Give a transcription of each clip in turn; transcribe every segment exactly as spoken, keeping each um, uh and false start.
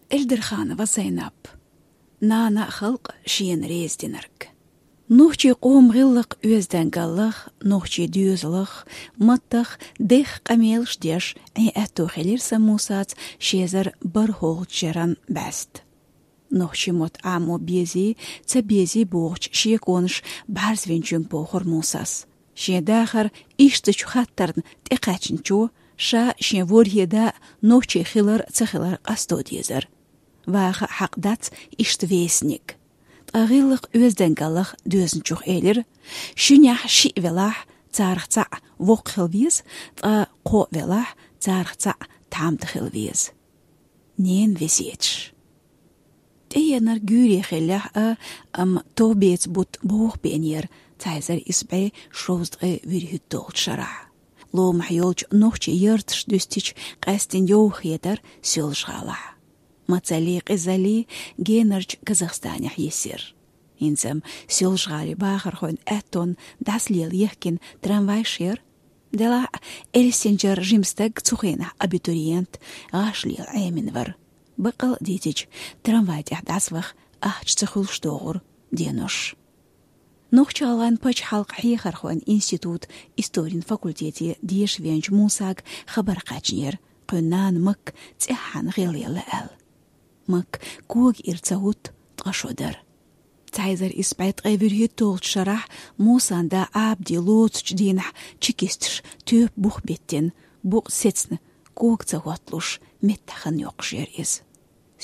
Эльдерханова Зайнап. Нана а халкъ а шена реза динарг. Нохчийн къоман гӀиллакх-оьздангаллах, нохчийн доьзалах, маттах дехха къамелаш деш, Ӏен аьтто хилира Мусаца ши эзар бархӀолгӀача шеран бӀаьста. Нохчийн мотт Ӏамо безий, ца безий бохуча шеконаша бӀарзвинчуьнга бохура Мусас. Шен дахар ишттача хаттарна тӀекхаьчначо, ша шен ворхӀе да нохчи хилар а, ца хилар а къасто дезара. Ваха а хьакъ дац иштта вестник. Ткъа гӀиллакх-оьздангаллах доьзначух элира: шуьнехь шиъ велахь, царах цхьаъ воккха хила веза, ткъа кхоъ велахь, царах цхьаъ тхьамда хила веза. Ненан весеташ. ТӀеенарг гуьйре хиллехь а, амма товбеца бутт боху бен яра цхьа эзар исс бӀе шовзткъе вуьрхӀитталгӀачу шарахь. Ломахь йолчу нохчийн ярташ дуьстича, къаьсттина йовха хетара Соьлжа-ГӀалахь. Мацаллий, къизаллий генарчу Казахстанехь йисира. ХӀинца-м Соьлжа-ГӀалин бахархойн аьттонна дӀасалела ехкина трамвайш яра. Делахь а, элстинчара жима стаг, цу хенахь абитуриент, гӀаш лела Ӏемина вара. Баккъал а дийцича, трамвай тӀехь дӀасаваха ахча ца хуьлуш догӀура денош. Нохч-ГӀалгӀайн пачхьалкхан хьехархойн институтан историн факультете деша веанчу Мусага хабар кхаьчнера, кхуьнан нана Макка цӀеххьана гӀелъелла аьлла. Макка кога ира ца хӀутту, ткъа шо дара. Цхьа эзар исс бӀе ткъе вуьрхӀитталгӀачу шарахь Мусан да Ӏабди лоцучу дийнахь чекисташа тоьпан бух биттина, букъ сецна, кога ца хӀотталуш, меттахь хан йоккхуш яра иза.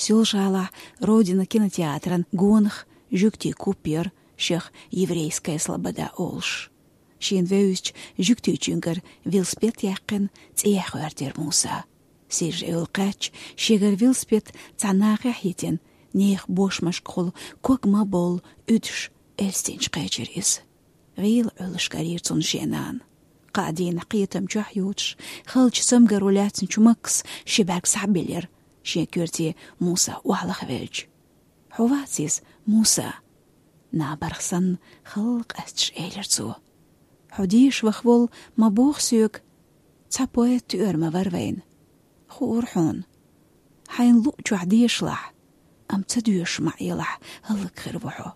Соьлжа-ГӀалахь «Родина» кинотеатран гонах жуьгтийн куп яра шех «Еврейская слобода» олуш. Шена вевзачу жуьгтичуьнгара велосипед яьккхина, цӀехьа гӀоьртира Муса. Сиржа-Эвла кхаьчча, шегара велосипед цхьа нахехь йитина, нехан бошмашкахула ког ма бовла, уьдуш элстинчу кхечира иза. ГӀийла Ӏуьллуш карийра цунна шен нана. Кхаа дийнахь кхетам чохь йоцуш, халчу цамгаро лаьцначу Маккас ши бӀаьрг схьабиллира, шен коьрте Муса охьалахвелча. «Хьо вац иза, Муса?» — набарх санна, халла къаьсташ элира цо. «Хьо деша ваха волу ма боху соьга, цхьа поэт тоьар ма вара вайна. Хуура хьуна. Хьайна луъучохь дешалахь, амма ца доьшуш ма Ӏелахь, хӀаллакьхир ву хьо.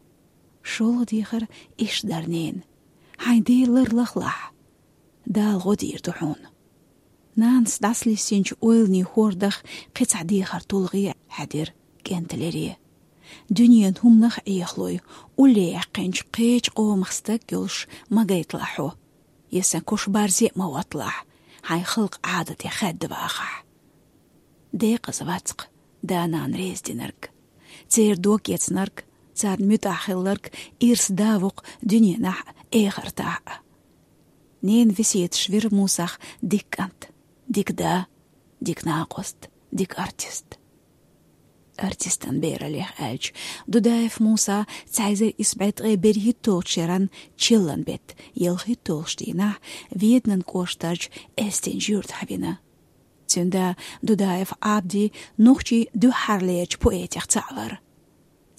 ШолгӀа дехар иштта дара, нена. Хьайн Дела ларлахалахь. Дала гӀо дийр ду хьуна». Нанас дӀасалиссинчу ойланийн хӀордах кхин цхьа дехар тулгӀе хьаьдира кӀентан лере. Дуьненан хӀуманах а Ӏехалой, улле яьккхинчу кхечу къомах стаг йолуш ма гайталахь хьо, я сан куш барзе а ма хӀотталахь, хьайн халкъан Ӏадате хаьдда вахахь. Декъаза вац-кх да-нана реза динарг, церан дог эцнарг, царна муьтӀахь хилларг ирс да ву-кх дуьненахь а, эхартахь а. Ненан весеташ вира Мусах дика кӀант, дика да, дика накъост, дика артист. Артистан бераллех аьлча, Дудаев Муса цхьа эзар исс бӀе ткъе берхӀитталгӀачу шеран чиллан беттан ялхитталгӀачу дийнахь Веданан кӀоштарчу Элстинчу юьртахь вина. Цуьнан да Дудаев Ӏабди нохчийн дуьххьарлерчу поэтех цхьаъ вара.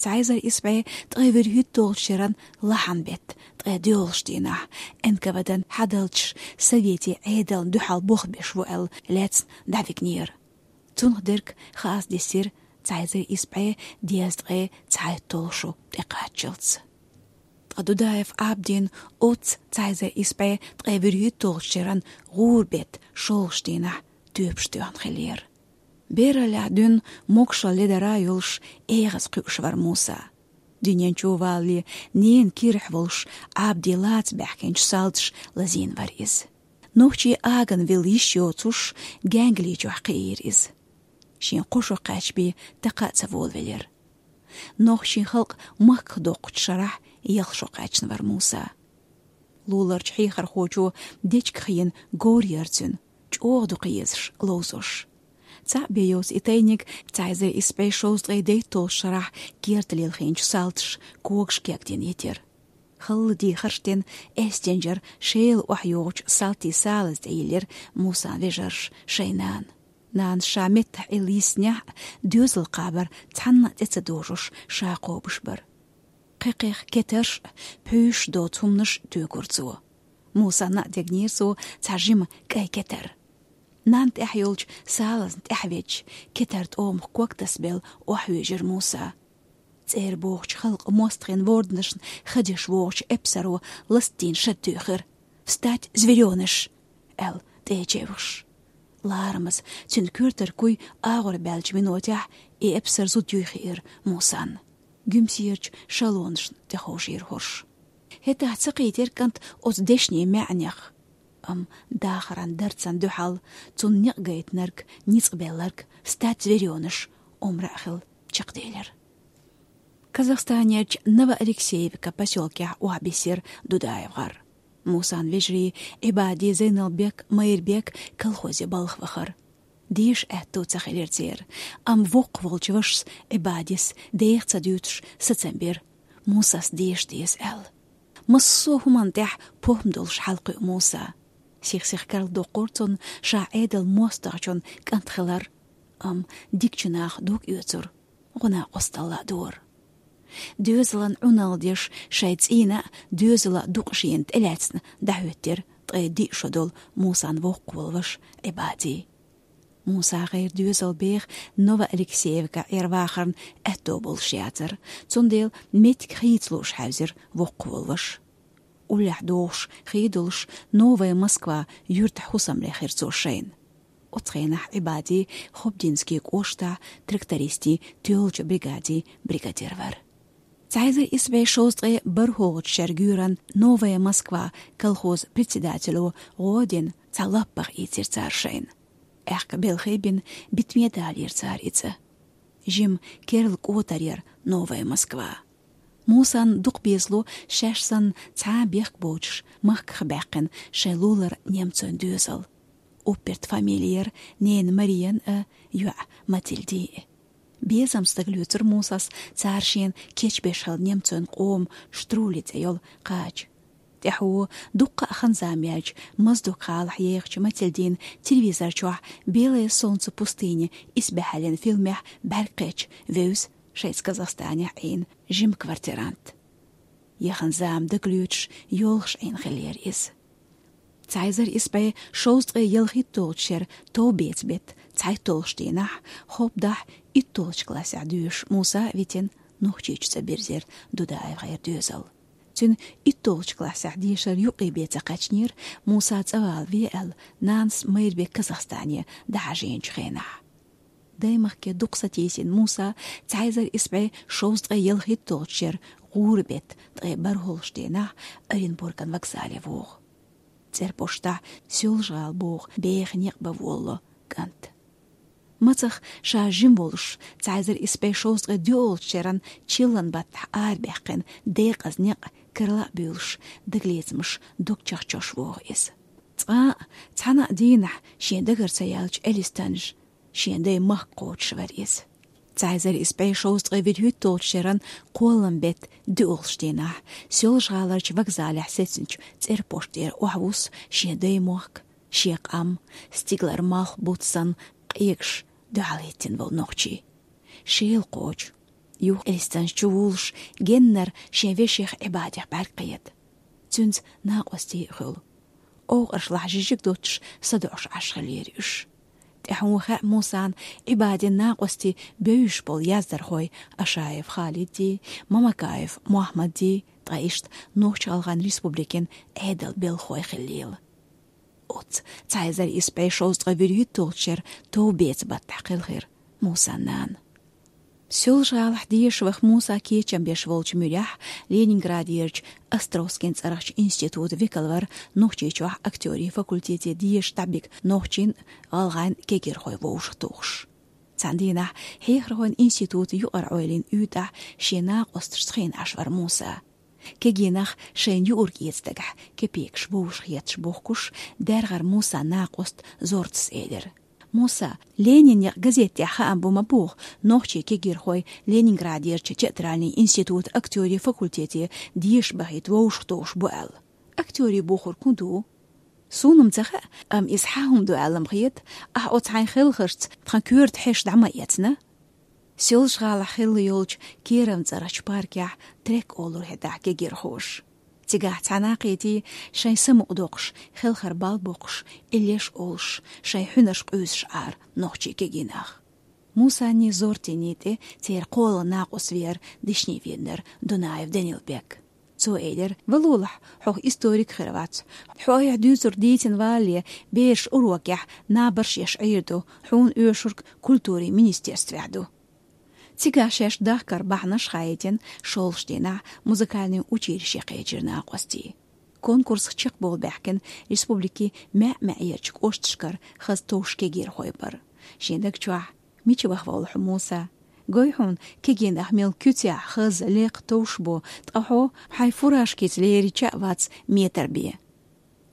Цхьа эзар исс бӀе ткъе вуьрхӀитталгӀачу шеран лахьан беттан ткъе доьалгӀачу дийнахь, Н К В Д-н хьадалчаш Советийн Ӏедална дуьхьал болх беш ву аьлла, лаьцна дӀавигнера. Цунах дерг хаас дисира цхьа эзар исс бӀе дезткъе цхьайтталгӀа шо тӀекхаччалц. Ткъа Дудаев Ӏабдин оццу цхьа эзар исс бӀе ткъе вуьрхӀитталгӀачу шеран гӀуран беттан шолгӀачу дийнахь тоьпаш тоьхна хиллера. Бераллехь дуьйна могашалла ледара йолуш, эгӀаз кхуьуш вара Муса. Дуьнен чу валале ненан кирахь волуш, Ӏабди лаца баьхкинчу салташа лазийна вара иза. Нохчийн агана вилла йиш йоцуш, Гаьнгалин чохь кхиира иза. Шен кхо шо кхаьчна бен такха а ца волавелира. Нохчийн халкъ махках доккхучу шарахь ялх шо кхаьчна вара Муса. Луларчу хьехархочо дечигах йина говр яра цуьнан, чӀогӀа дукха езаш, ловзош. Цхьаъ бен йоцу и тайниг цхьа эзар исс бӀе шовзткъе дейтталгӀачу шарахь керта лелхинчу салташа когаш кегдина йитира. Халла дехарш дина, Элстинчара Шелан охьайогӀучу салтийн салаза тӀейиллира Мусан вежарша шайн нана. Нанас ша меттахь Ӏилла йиснехь а, доьзал кхабар цхьанна а тӀе ца дожош, ша кхобуш бара. Кхекхех кетарш а, пхьуьйшаш доцу хӀуманаш а туьйхира цо. Мусана а дегнера цо цхьа жима кӀай кетар. Нанна тӀехь йолчу салазна тӀехь ведча, кетар тӀомах ког тасабелла охьавуьйжира Муса. ЦӀера богӀучу халкъан мостагӀийн ворданашна хадеш вогӀучу эпсаро ластийна шад туьйхира: «Встать, зверёныш!» — аьлла, тӀе чевхаш. Ларамаза, цуьнан коьртара куй агӀор баьллачу минотехь и эпсар зуда юй хиира Мусанна. Гуьмсерачу шалонашна тӀеховшийра хӀорш. ХӀетахь ца кхийтира кӀант оцу дешнийн маьӀнех. Амма дахаран дарцан дуьхьал цунна некъ гайтинарг, ницкъ белларг: «Встать, зверёныш!» — омра а хилла чекхделира. Казахстанерчу Новоалексеевка посёлкехь охьабиссира Дудаев гӀар. Мусан вежарий Ӏибади, Зайналбек, Майрбек колхозе балха вахара. Деша аьтто ца хилира церан, амма воккхах волчу вашас Ӏибадис, деха ца дуьйцуш, сацам бира: «Мусас деша деза», — аьлла. Массо а хӀуманна тӀехь похӀма долуш хьалакхуьу Муса. Сих-сиха карладоккхура цунна ша Ӏедалан мостагӀчун кӀант хилар, амма дикачу наха дог оьцура, гӀо-накъосталла а дора. Доьзалан Ӏуналла деш, шайн цӀийнан а, доьзалан а дукъ шена тӀелаьцна дӀахӀоьттира ткъе диъ шо долу Мусан воккхах волу ваша Ӏибади. Муса гӀайра доьзал беха Новоалексеевка Ӏер вахарна аьтто болуш яцара, цундела меттиг хийца лууш хьаьвзира воккхах волу ваша. Уллехь догӀуш хи долуш, Новая Москва юьртахь хӀусамлехь хир цо шайна. Оцу хенахь Ӏибади Хобдинский кӀоштахь трактористийн тоьллачу бригадин бригадир вара. Цхьа эзар исс бӀе шовзткъе бархӀалгӀачу шеран гуьйранна Новая Москва колхозан председатело гӀо а дина, цхьа лаппах ийцира цара шайна. Аьхка белхий бина, битаме далийра цара и цӀа. Жима керла кӀотар яра Новая Москва. Мусанна дукха безало шаьш санна цхьа а бехк боцуш махках баьккхина шайн лулара немцойн доьзал. Уппертан фамили яра ненан Мариан а, йоӀан Матильдин а. Безамца дагалоьцура Мусас цара шена кечбеш хилла немцойн къоман Штрули цӀе йолу кхача. ТӀаьхьо, дуккха а хан-зама яьлча, Моздок-гӀалахь ехачу Матильдина телевизор чохь «Белое солнце пустыни» исбаьхьаллин фильмехь бӀаьрг кхетча, вевза шайца Казахстанехь Ӏийна жима квартирант. Яхан зама дагалоьцуш, йолхуш Ӏийна хиллера иза. Цхьа эзар исс бӀе шовзткъе ялхитталгӀачу шеран товбеца беттан цхьайтталгӀачу дийнахь, Хобдахь итталгӀачу классехь доьшуш Муса а витина, Нохчийчу цӀа бирзира Дудаев гӀайра доьзал. Цуьнан итталгӀачу классехь дешар юккъе бен ца кхаьчнера, Муса цӀа вала ве аьлла, нанас Майрбек Казахстане дӀахьажийначу хенахь. Даймахке дукха сатийсина Муса цхьа эзар исс бӀе шовзткъе ялхитталгӀачу шеран гӀуран беттан ткъе бархӀалгӀачу дийнахь Оренбурган вокзале вогӀу. ЦӀерпоштахь Соьлжа-ГӀала боху беха некъ бан волало кӀант. Мацах ша жима волуш, цхьа эзар исс бӀе шовзткъе доьалгӀачу шеран чиллан баттахь арабаьккхина декъаза некъ карла а буьйлуш, дагалецамаш дог чахчош вогӀу иза. Цкъа а, цхьана а дийнахь шен дагара ца яьллачу Элистанжа шен дайн махка кхочуш вара иза. Цхьа эзар исс бӀе шовзткъе вуьрхӀитталгӀачу шеран кхоллам беттан доьалгӀачу дийнахь Соьлжа-ГӀаларчу вокзалехь сецначу цӀерпошт тӀера охьавуссу шен дайн мохк, шен къам, стигалара малх буц санна къегаш дуьхьал хӀиттина волу нохчий. Шел кхочу. Юха Элистанжа чу вуллуш, геннара шен вешех Ӏибадех бӀаьрг кхета. Цуьнца накъостий а хуьлу. Овкъашлахь жижиг доццуш садоӀуш Ӏаш хиллера уьш. ТӀаьхьо хаьа Мусана Ӏибадин накъостийн бевзаш болу яздархой Ашаев Халиддий, Мамакаев Мохьмаддий, ткъа иштта Нохч-ГӀалгӀайн Республикин Ӏедалан белхахой хиллийла. Оццу цхьа эзар исс бӀе шовзткъе вуьрхӀитталгӀачу шеран товбеца баттахь кхелхира Мусан нана. Соьлжа-ГӀалахь деша ваха Муса кечам беш волчу муьрехь Ленинградерчу Островскин цӀарахчу институтан векал вара Нохчийчохь актёрийн факультете деша дӀабига нохчийн, гӀалгӀайн кегийрхой вовшахтухуш. Цхьана дийнахь хьехархойн институтан юкъара Ӏойлин уьйтӀахь шен накъосташца хиъна Ӏаш вара Муса. Кегий нах шайна юург эца дагахь кепекаш вовшахъетташ бохкуш, даьргӀара Мусан накъост Зортас элира: «Муса, Ленин некъ газетехь хаам бу ма боху, нохчийн кегийрхой Ленинградерчу театральный институтан актёрийн факультете деша бахийта вовшахтухуш бу аьлла. Актёрийн бохург хӀун ду?» «Суна-м ца хаьа, амма иза хьан хӀума ду аьлла-м хета, ахь оцу хьайн хелхаршца тхан коьрта хьешаш дӀа ма эцна». Соьлжа-ГӀалахь хилла йолчу Кировн цӀарахчу паркехь трек олура хӀетахь кегийрхоша. Цигахь цхьана кхетий шайн самукъадоккхуш, хелхар бал боккхуш, иллеш олуш, шайн хьуьнарш къуьйсуш Ӏара нохчий кегийнах. Мусанний Зортинний тӀе церан кхоалгӀа накъост веара дешнийн веданара Дунаев Данилбек. Цо элира: «Валолахь, хьо историк хир вац. Хьо айхьа дуьйцург дийцина валале, бераш урокехь набарш еш Ӏийр ду, хьуна оьшург культурин министерствехь ду». Цигахь шаьш дахкар бахьанаш хаийтина, шолгӀачу дийнахь музыкальный училище кхечира накъостий. Конкурсах чекхбовла баьхкина республикин маьӀ-маьӀӀерчу кӀошташкара хаза товш кегийрхой бара. Шен даг чохь: «Мича ваха волу хьо, Муса? Гой хьуна, кегийнах мел куьцехь, хаза, лекха товш бу, ткъа хьо хьайн фуражкица лерича а вац метр бен».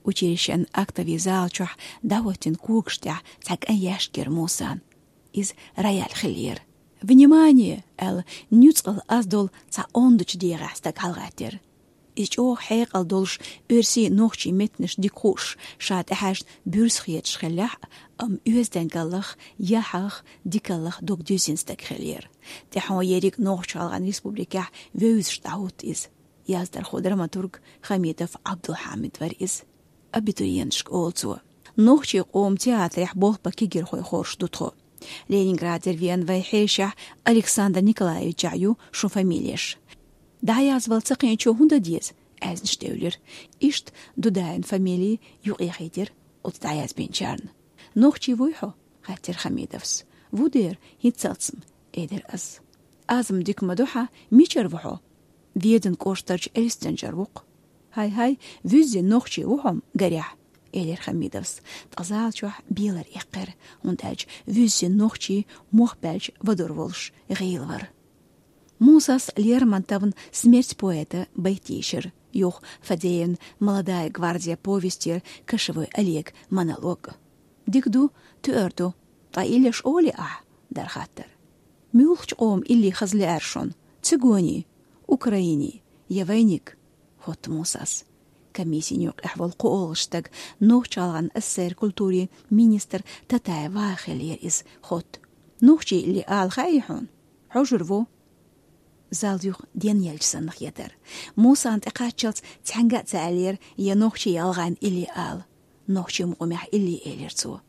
Училищен актовый зала чохь дӀахӀоьттина когаш тӀехь цхьа кӀайн яьшка яра Мусан. Иза рояль хиллера. «Внимание!» аьлла, нуьцкъала аз долу цхьа ондачу дегӀехь стаг хьалагӀаьттира. Иза чӀогӀа хьекъал долуш, оьрсийн, нохчийн меттанаш дика хууш, ша тӀехьаьжна буьрса хеташ хиллехь а, амма оьздангаллах, яхьах, дикаллах дог дуьззина стаг хиллера. ТӀаьхьо ерриг Нохч-ГӀалгӀайн Республикехь вевзаш дӀахӀутту иза. Яздархо, драматург Хамидов Ӏабдулхьамид вара иза. Абитуриенташка олу цо. Нохчийн къоман театрехь болх бан кегийрхой хоржуш ду тхо. Ленинградера веана вайн хьешехь Александр Николаевичехь ю шун фамилеш. «ДӀаязвала ца кхиъначо хӀун дан деза?» аьзнаш девлира. Иштта Дудаевн фамили юкъахьийтира оцу дӀаязбинчарна. «Нохчи вуй хьо?» — хаьттира Хамидовс. «Ву дера, хӀинццалц-м», — элира ас. «Аз-м дика ма ду хьан, мичара ву хьо?» «Веданан кӀоштарчу Эльстинчара ву-кх». «Хьай-хьай, вуьззина нохчи ву хьо-м, гарехь», — элира Хамидовс. Ткъа зала чохь белар эккхира, хӀунда аьлча вуьззина нохчи мох баьлча вадур волуш гӀийла вара. Мусас Лермонтовн «Смерть поэта» байт йийшира, юха Фадеевн «Молодая гвардия» повестера Кошевой Олеган монолог. «Дика ду, туьар ду, ткъа иллеш олий ахь?» — дара хаттар. «Муьлхачу къоман илли хаза лаьара шуна? Цигоний? Украиний? Я вайниг?» — хотту Мусас. Комиссин юкъехь волу кхоалгӀа стаг, Нохч-ГӀалгӀайн ССР-н культурин министр Татаев Ваха хиллера иза хотту. «Нохчийн илли ала хаьий хьуна? Хьожур ву». Зал юха денъелча санна хетара. Мусана тӀе кхаччалц цхьаьнга а ца аьллера, я нохчийн, я гӀалгӀайн илли ала. Нохчийн мукъамехь илли элира цо.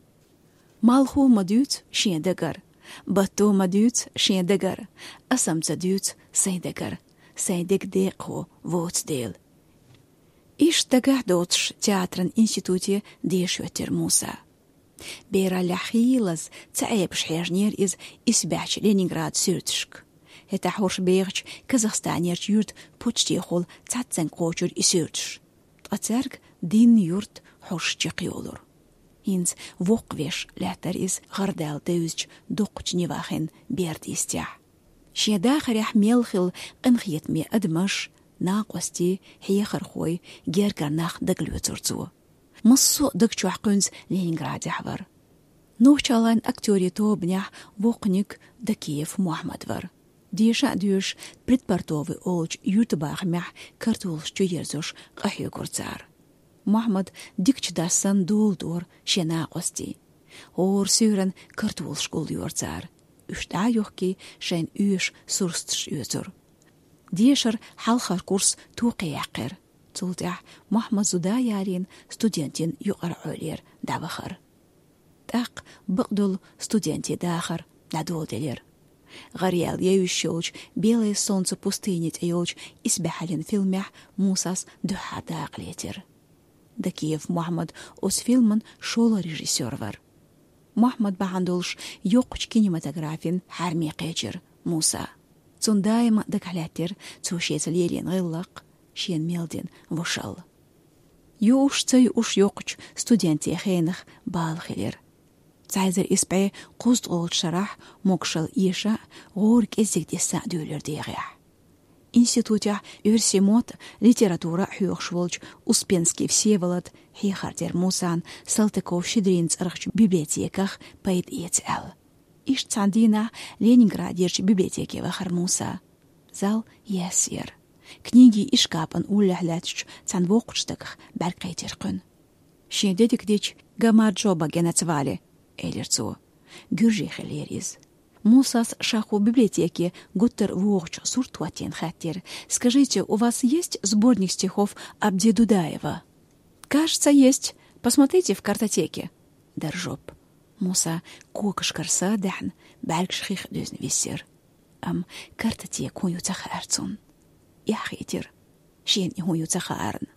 «Малхо ма дуьйцу шен дагара, батто ма дуьйцу шен дагара, аса-м ца дуьйцу сайн дагара, сайн дег декъахо воцу дела». Иштта дагахь доцуш театран институте деша хӀоьттира Муса. Бераллехь хийлаза, ца Ӏебаш хьежнера иза исбаьхьчу Ленинградан суьрташка. ХӀетахь хӀорш бехачу Казахстанерчу юьртан почтехула цхьацца кхочура и суьрташ. Ткъа цаьрга дийнна юрт хьорш чекхйолура. ХӀинца воккхавеш лаьттара иза гӀардаьлла девзачу доккхачу Невахин берда йистехь. Шен дахарехь мел хилла къинхетаме адамаш, накъостий, хьехархой, гергара нах дагалоьцура цо. Массо а даг чохь кхуьнца Ленинградехь вара. Нохч-ГӀалгӀайн актёрийн тобанехь воккханиг Дакиев Мохьмад вара. Деша а доьшуш, Придпортовый олучу юьртабахамехь картолаш чуерзош къахьоьгура цара. Мохьмад дикачу дас санна дола дора шен накъостий. ХӀора суьйранна картолаш гулйора цара. Уьш дӀа а йохкий, шайна оьшуш сурсаташ оьцура. Дешара хьалхара курс токхе яьккхира. Цул тӀаьхьа Мохьмад зуда а ялийна, студентийн юкъара Ӏуьллера дӀавахара. ТӀаккха бакъдолу студентийн дахар дӀадоладелира. ГӀараяьлла евзаш йолчу «Белое солнце пустыни» тӀе йолчу исбаьхьаллин фильмехь Мусас дуьххьара дакъа лецира. Дакиев Мохьмад оцу фильман шолгӀа режиссёр вара. Мохьмад бахьана долуш йоккхачу кинематографин хьаьрме кхечира Муса. Цунна даима дагахь лаьттира цо шеца лелийна гӀиллакх, шена мел дина вошалла. Юуш ца юуш йоккхачу студентийн хенах бала хилира. Цхьа эзар исс бӀе кхузткъолгӀачу шарахь могушалла эша а, гӀора кӀеззиг дисса а дуьйлира дегӀехь. Институтехь оьрсийн мотт а, литература а хьоьхуш волчу Успенский Всеволод хьехар дира Мусана Салтыков-Щедринан цӀарахчу библиотеках пайда эца аьлла. Иштта цхьана дийнахь Ленинградерчу библиотеке вахара Муса. Зал яьсса яра. Книгин ишкапан уллехь лаьттачу цхьана воккхачу стагах бӀаьрг кхийтира кхуьнан. «Шен дедиг дича, Гамаджоба генаца вали», — элира цо. Гуьржи хиллера иза. Мусас шаху библиотеке гуттар вогӀучу сурт хӀоттийна хаьттира: «Скажите, у вас есть сборник стихов Абди Дудаева?» «Кажется, есть. Посмотрите в картотеке», — дара жоп. Муса когашкара садаьхьна, бӀаьргаш хих дуьзна висира. Амма картотека хӀун ю ца хаьара цунна. Эхь хийтира шена и хӀун ю ца хаарна.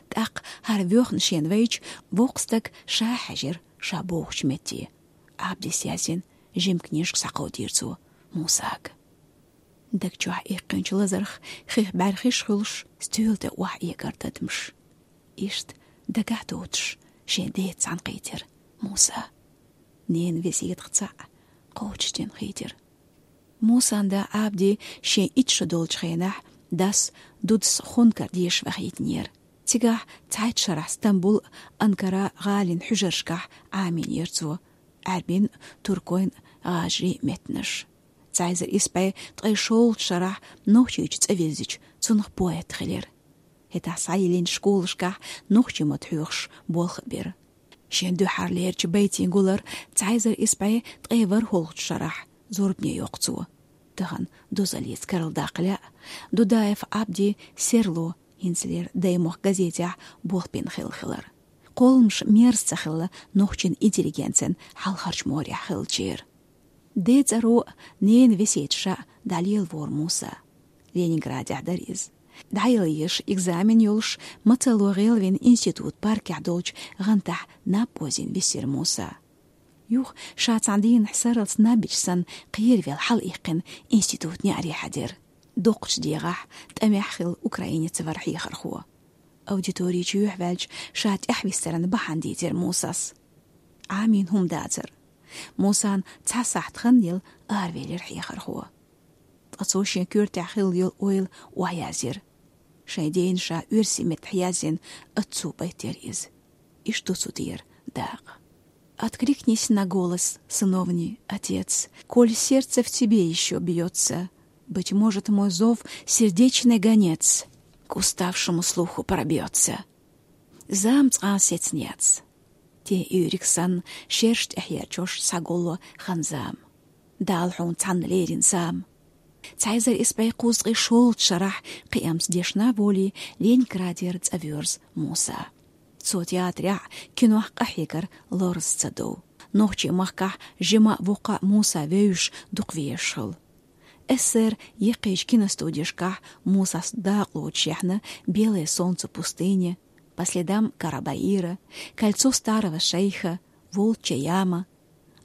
ТӀаккха хӀара воьхна шена вайча, воккха стаг ша хьаьжира ша бохучу метте. Абдис яздина жима книжка схьакховдийра цо Мусага. Даг чохь иккхинчу лазарх хих бӀаьрхиш хуьлуш, стоьла тӀе охьаэгара дадамаш. Иштта дагахь доцуш, шен деца цхьаьна хийтира Муса. Ненан весетах цхьаъ кхочушдина хийтира. Мусан да Абди шен итт шо долчу хенахь дас Дудас хункар деша вахийтинера. Цигахь цхьайтта шарахь Стамбул, Анкара гӀалин хьуьжаршкахь Ӏамийнера цо, Ӏаьрбийн, туркойн, гӀажарийн меттанаш. Цхьа эзар исс бӀе ткъе шолгӀачу шарахь Нохчийчу цӀа вирзича, цунах поэт хилира. ХӀетахь схьайиллинчу школашкахь нохчийн мотт хьоьхуш болх а бира. Шен дуьххьарлерчу байтийн гулар цхьа эзар исс бӀе ткъе ворхӀалгӀачу шарахь зорбане йоккху цо. Тахана дозаллица карладаккха лаьа, Дудаев Абди «Серло», хӀинцалера «Даймохк» газетехь болх бина хилла хилар. Кхолламаш мерза ца хилла нохчийн интеллигенцин хьалхарчу морехь хиллачеран. Ден цӀаро, ненан весеташа дӀалелавора Муса. Ленинградехь дара иза. ДӀаяла езаш экзамен йолуш, мацалло гӀелвина институт паркехь долчу гӀантахь наб озийна висира Муса. Юха ша цхьана дийнахь сарралц наб йича санна, кхеравелла хьалаиккхина, институтан неӀаре хьаьдира. Доккхачу дегӀахь, тӀамехь хилла украинец вара хьехархо. Аудитори чу юьхьваьлча, ша тӀаьхьавистаран бахьана дийцира Мусас. Ӏамийна хӀума дацара. Мусан цхьа сахьт хан елла аравелира хьехархо. Ткъа цо шен коьртехь хилла йолу ойла охьаяздира. Шайн дена ша оьрсийн меттахь яздина «Отцу» байтера иза. Иштта ду цу тӀера дакъа: «Откликнись на голос сыновний, отец, коль сердце в тебе ещё бьётся. Быть может, мой зов сердечный гонец к уставшему слуху пробьётся». Зама цкъа а сецна яц. Тен уьйриг санна, шераш тӀехь ерчош схьаголло хан-зама. Дала хьуна цхьанна лерина зама. Цхьа эзар исс бӀе кхузткъе шолгӀачу шарахь кхиамца дешна волий, Ленинградера цӀа воьрзу Муса. Цо театрехь, кинох къахьегар лорза ца дов. Нохчийн махкахь жима а, воккха а Муса вевзаш дукха везаш хилла. СССР-н еккхийчу киностудешкахь Мусас дакъалоцуш яьхьна «Белое солнце пустыни», «По следам Карабаира», «Кольцо старого шейха», «Волчья яма»,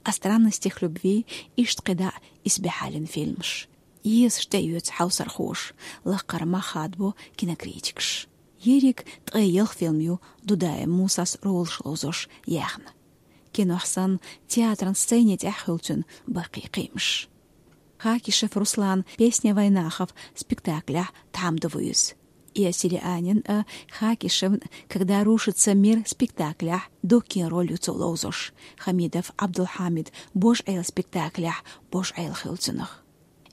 «О странностях любви», иштта кхидӀа а исбаьхьаллин фильмаш. Езаш тӀеоьцу хьовсархоша, лакхара мах хадабо кинокритикаша. Ерриг ткъе ялх фильм ю Дудаев Мусас ролаш ловзош яьхна. Кинохь санна, театран сцени тӀехь хуьлу цуьнан баккхий кхиамаш. Хакишев Руслан «Песня вайнахов» спектаклехь тхьамда ву иза. И Селианин а, Хакишевн «Когда рушится мир» спектаклехь Доккин роль ю цо ловзош, Хамидов Абдулхамид «Божаэла» спектаклехь Божаэла хуьлу цунах.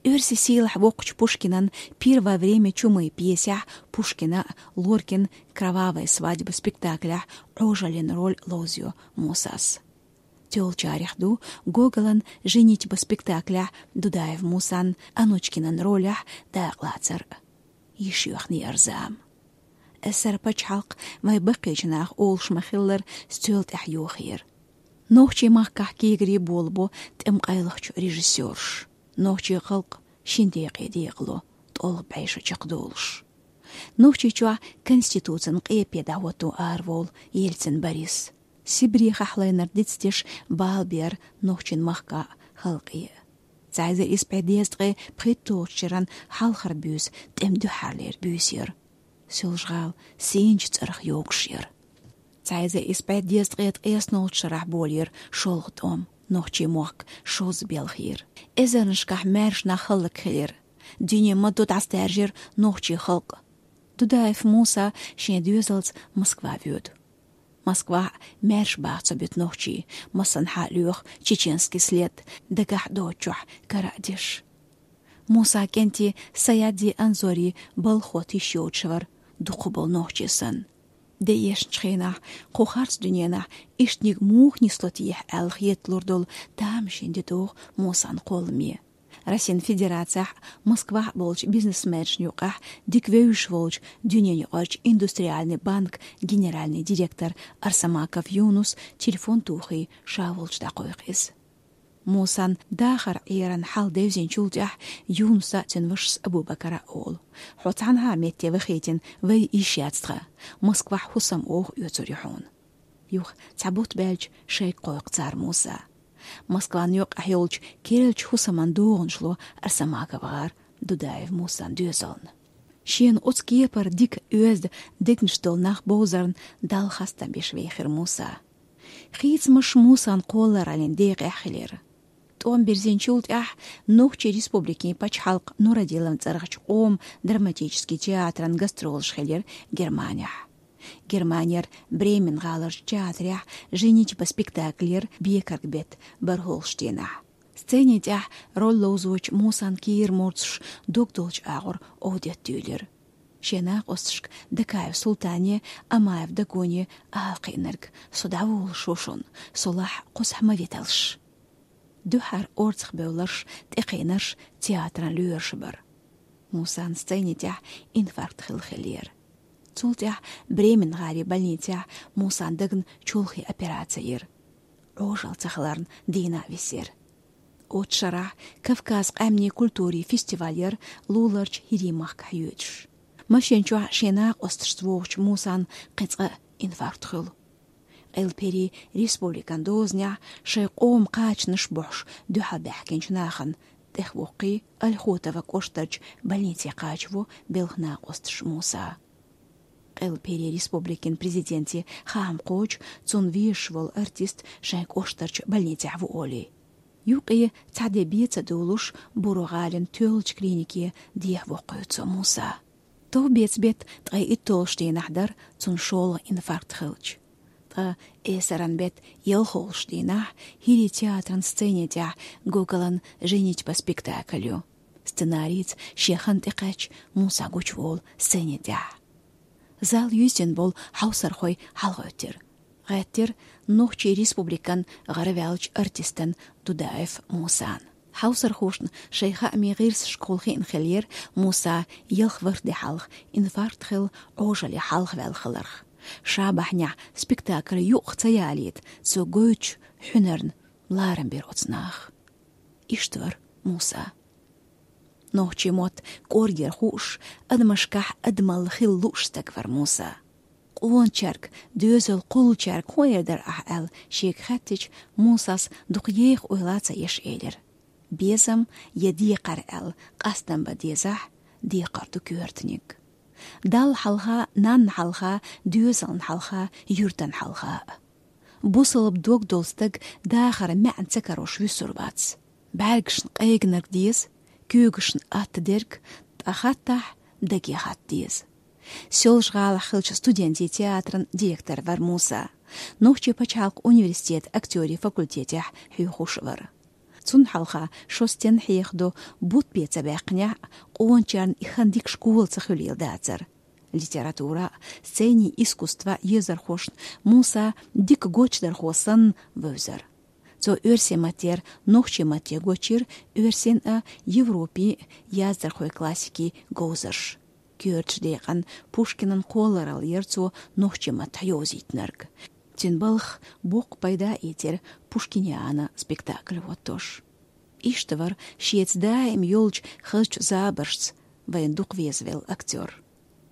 Оьрсийн сийлахь воккхачу Пушкинан «Пир во время чумы» пьесехь Пушкина, Лоркин «Кровавая свадьба» спектаклехь Ӏожаллин роль ловзайо Мусас. Тоьллачарех ду Гоголан «Женитьба» спектаклехь Дудаев Мусан Анучкинан ролехь дакъалацар а. Йиш йоьхна яра зама. СССР-н пачхьалкх вайн баккхийчу наха олуш ма-хиллара стоьла тӀехь йохийра. Нохчийн махкахь кегари болабо тӀемкъайлахчу режиссёраш. Нохчийн халкъ шина декъе декъало, тӀолгӀа бӀешо чекхдолуш. Нохчийчохь конституцин къепе дӀахӀотто араволу Ельцин Борис. Сибрехахь лайнарг дицдеш бала бер нохчийн махка а, халкъе а. Цхьа эзар исс бӀе дезткъе пхийтталгӀачу шеран хьалхара буьйса тӀеман дуьххьарлера буьйса яра. Соьлжа-ГӀала сийначу цӀарах йогуш яра. Цхьа эзар исс бӀе дезткъе ткъеснолгӀачу шарахь болийра шолгӀа тӀом, нохчийн мохк шозза белхийра. Эзарнашкахь маьрша нах хӀаллакьхилира. Дуьне ма-дду дӀасадаьржира нохчийн халкъ. Дудаев Муса шен доьзалца Москва воьду. Москвахь маьрша баха ца буьту нохчий, массанхьа лоьху чеченский след, дагахь доцучохь кара а деш. Муса кӀентий Саядди Анзори балхо тиша йоцуш вара, дукхахболу нохчи санна. Де эшначу хенахь кху харц дуьненахь иштаниг муха нисло техьа аьлла хеталур долу тамашийна де догӀу Мусан кхолламе. Россин Федерацехь, Москвахь болчу бизнесменашна юкъахь дика вевзаш волчу Дуьненаюкъарчу индустриальный банк генеральный директор Арсамаков Юнус телефон тухий ша волчу дӀакхойкху иза. Мусан дахар Ӏеран хьал девзинчул тӀаьхьа Юнуса а, цуьнан вашас Абу-Бакара а олу: «Хьо цхьанхьа а метте вахийтина вай йиш яц тхан. Москвахь хӀусам оха оьцур ю хьуна». Юха цхьа бутт баьлча шайга кхойкху цара Муса. Москван юккъехь йолчу керлачу хӀусаман догӀанаш ло Арсамаков гӀар Дудаев Мусан доьзална. Шена оцу кепара дика оьзда дегнаш долу нах бовзарна Далла хастам беш вехира Муса. Хийцамаш Мусан кхоллараллин декъехь хилира. ТӀом бирзинчул тӀаьхьа Нохчийн Республикин пачхьалкх Нурадилан цӀарахчу къоман драматически театран гастролаш хилира Германехь. Германера Бремен гӀаларчу театрехь «Женитьба» спектакль яра бекарг бетта бархӀолгӀачу дийнахь. Сцени тӀехь роль ловзочу Мусан кийра мурдаш дог долчу агӀор овдет дуьйлира. Шен накъосташка Дакаев Султане, Амаев Дагоне ала кхиънарг: «Со дӀаволуш ву шуна, со лахь кхузахь ма виталаш». Дуьххьара орцах бевлларш, тӀекхийнарш театран лоьраша бара. Мусан сцени тӀехь инфаркт хилла хиллера. Цул тӀаьхьа Бремен гӀарин больницехь Мусан дагна чолхе операци йира. Ӏожалла ца хиларна, дийна а висира. Оцу шарахь Кавказ къаьмнийн культурин фестиваль яра луларчу ХӀирийн махкахь йоьдуш. Машен чохь шен накъосташца вогӀучу Мусан кхин цкъа а инфаркт хуьлу. Къелперийн республикан дозанехь шайн къоман кхачанаш бохьуш дуьхьал баьхкинчу нахана тӀехвоккхий, Ольхотова кӀоштарчу больнице кхачаво белхан накъосташ Муса. Къелперийн республикин президенте хаам кхочу, цунна везаш волу артист шайн кӀоштарчу больницехь ву олий. Юкъе цхьа де бен ца довлуш, Буро-гӀалин тоьллачу клинике дехьавоккхуьйту цо Муса. Товбеца бетт ткъе итталгӀачу дийнахь дара цунна шолгӀа инфаркт хилча. Ткъа эсаран бетт ялхолгӀачу дийнахь ХӀирийн театран сцени тӀехь Гоголан «Женитьба» спектакль ю. Сценарица шен хан тӀекхаьчча, Муса гучуволу сцени тӀехь. Зал юьззина болу хьовсархой хьалагӀоьттира. ГӀеттира Нохчийн Республикан гӀараваьллачу артистан Дудаев Мусан. Хьовсархошна шайн хаамийн гӀирсашкахула хиъна хиллера Муса ялх ворхӀ де хьалха инфаркт хилла Ӏожаллин хьалхаваьлла хиларх. Ша бахьанехь спектакль юкъах ца ялийта, цо гойтучу хьуьнарна ларам бира оцу наха. Иштта вара Муса. Нохчийн мотт кӀоргера хууш, адамашкахь адамалла хила лууш стаг вара Муса. Къоначаьрга, доьзал кхуллучаьрга хӀун эр дара ахь аьлла шега хаьттича, Мусас дукха еха ойла ца еш элира: «Безам я декхар аьлла къастам бан дезахь, декхар ду коьртаниг. Далла хьалха, нанна хьалха, доьзална хьалха, юьртана хьалха а». Бусалба дог долу стаг дахар маьӀна ца карош вуьсур вац. БӀаьргашна къегнарг деза, куьйгашна атта дерг, ткъа хаттахь даге хатта деза. Соьлжа-ГӀалахь хиллачу студентийн театран директор вара Муса. Нохчийн пачхьалкхан университетан актёрийн факультетехь хьоьхуш вара. Цунна хьалха шо стенна хьехадо бутт бен ца баьккхинехь а, къоначарна и хан дика школа ца хуьлийла дацара. Литература а, сценин искусство а езархошна Муса дика гочдархо санна вевзара. Цо оьрсийн маттера нохчийн матте гочйира оьрсийн а, Европин а яздархойн классикийн говзарш. Коьртачу декъана Пушкинан кхолларалла яра цо нохчийн маттахь йовзийтинарг. Цуьнан балхах боккха пайда а ийцира «Пушкиниана» спектакль хӀоттош. Иштта вара шеца даим йолчу хазачу забаршца вайна дукха везавелла актёр.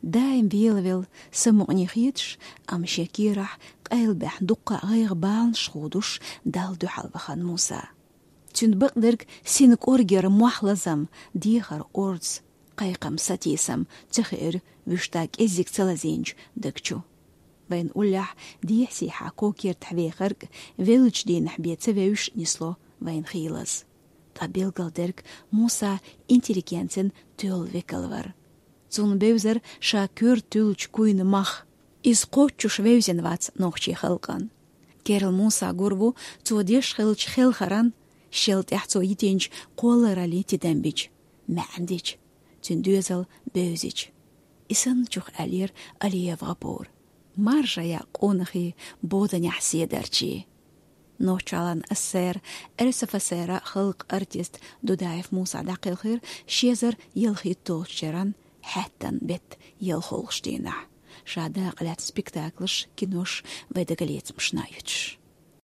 Даим велавелла, самукъане хеташ, амма шен кийрахь къайлабаьхна дуккха а гӀайгӀа баланаш худуш, Далла дуьхьал вахана Муса. Цуьнан бакъдерг синан кӀоргера мохь лазам, дехар орца, кхайкхам сатийсам ца хиира вуьшта кӀеззиг ца лазийначу даг чу. Вайна уллехь дехьа-сехьа кокертахь вехарг веллачу дийнахь бен ца вевзаш нисло вайна хийлаза. Ткъа билгалдерг Муса интеллигенцин тоьлла векал вара. Цунна бевзара ша коьрта туьллучу куйна мах. Иза кхоччуш вевзина вац нохчийн халкъан. Керла Муса гур ву цо деш хиллачу хелхаран, шел тӀехь цо йитинчу кхоллараллин тидам бича, маьӀна дича, цуьнан доьзал бевзича. И санначух аьллера Алиев ГӀапура. маржа я къонахий боданехь седарчий. Нохчалан СССР, РСФСР халкъ артист Дудаев Муса дакъелхир шезар ялхиттолчеран хьеттан бет ялхолгуш дийнахь, ша дакъалаьцна спектаклаш, кинош вай дагалецамашна юьтуш.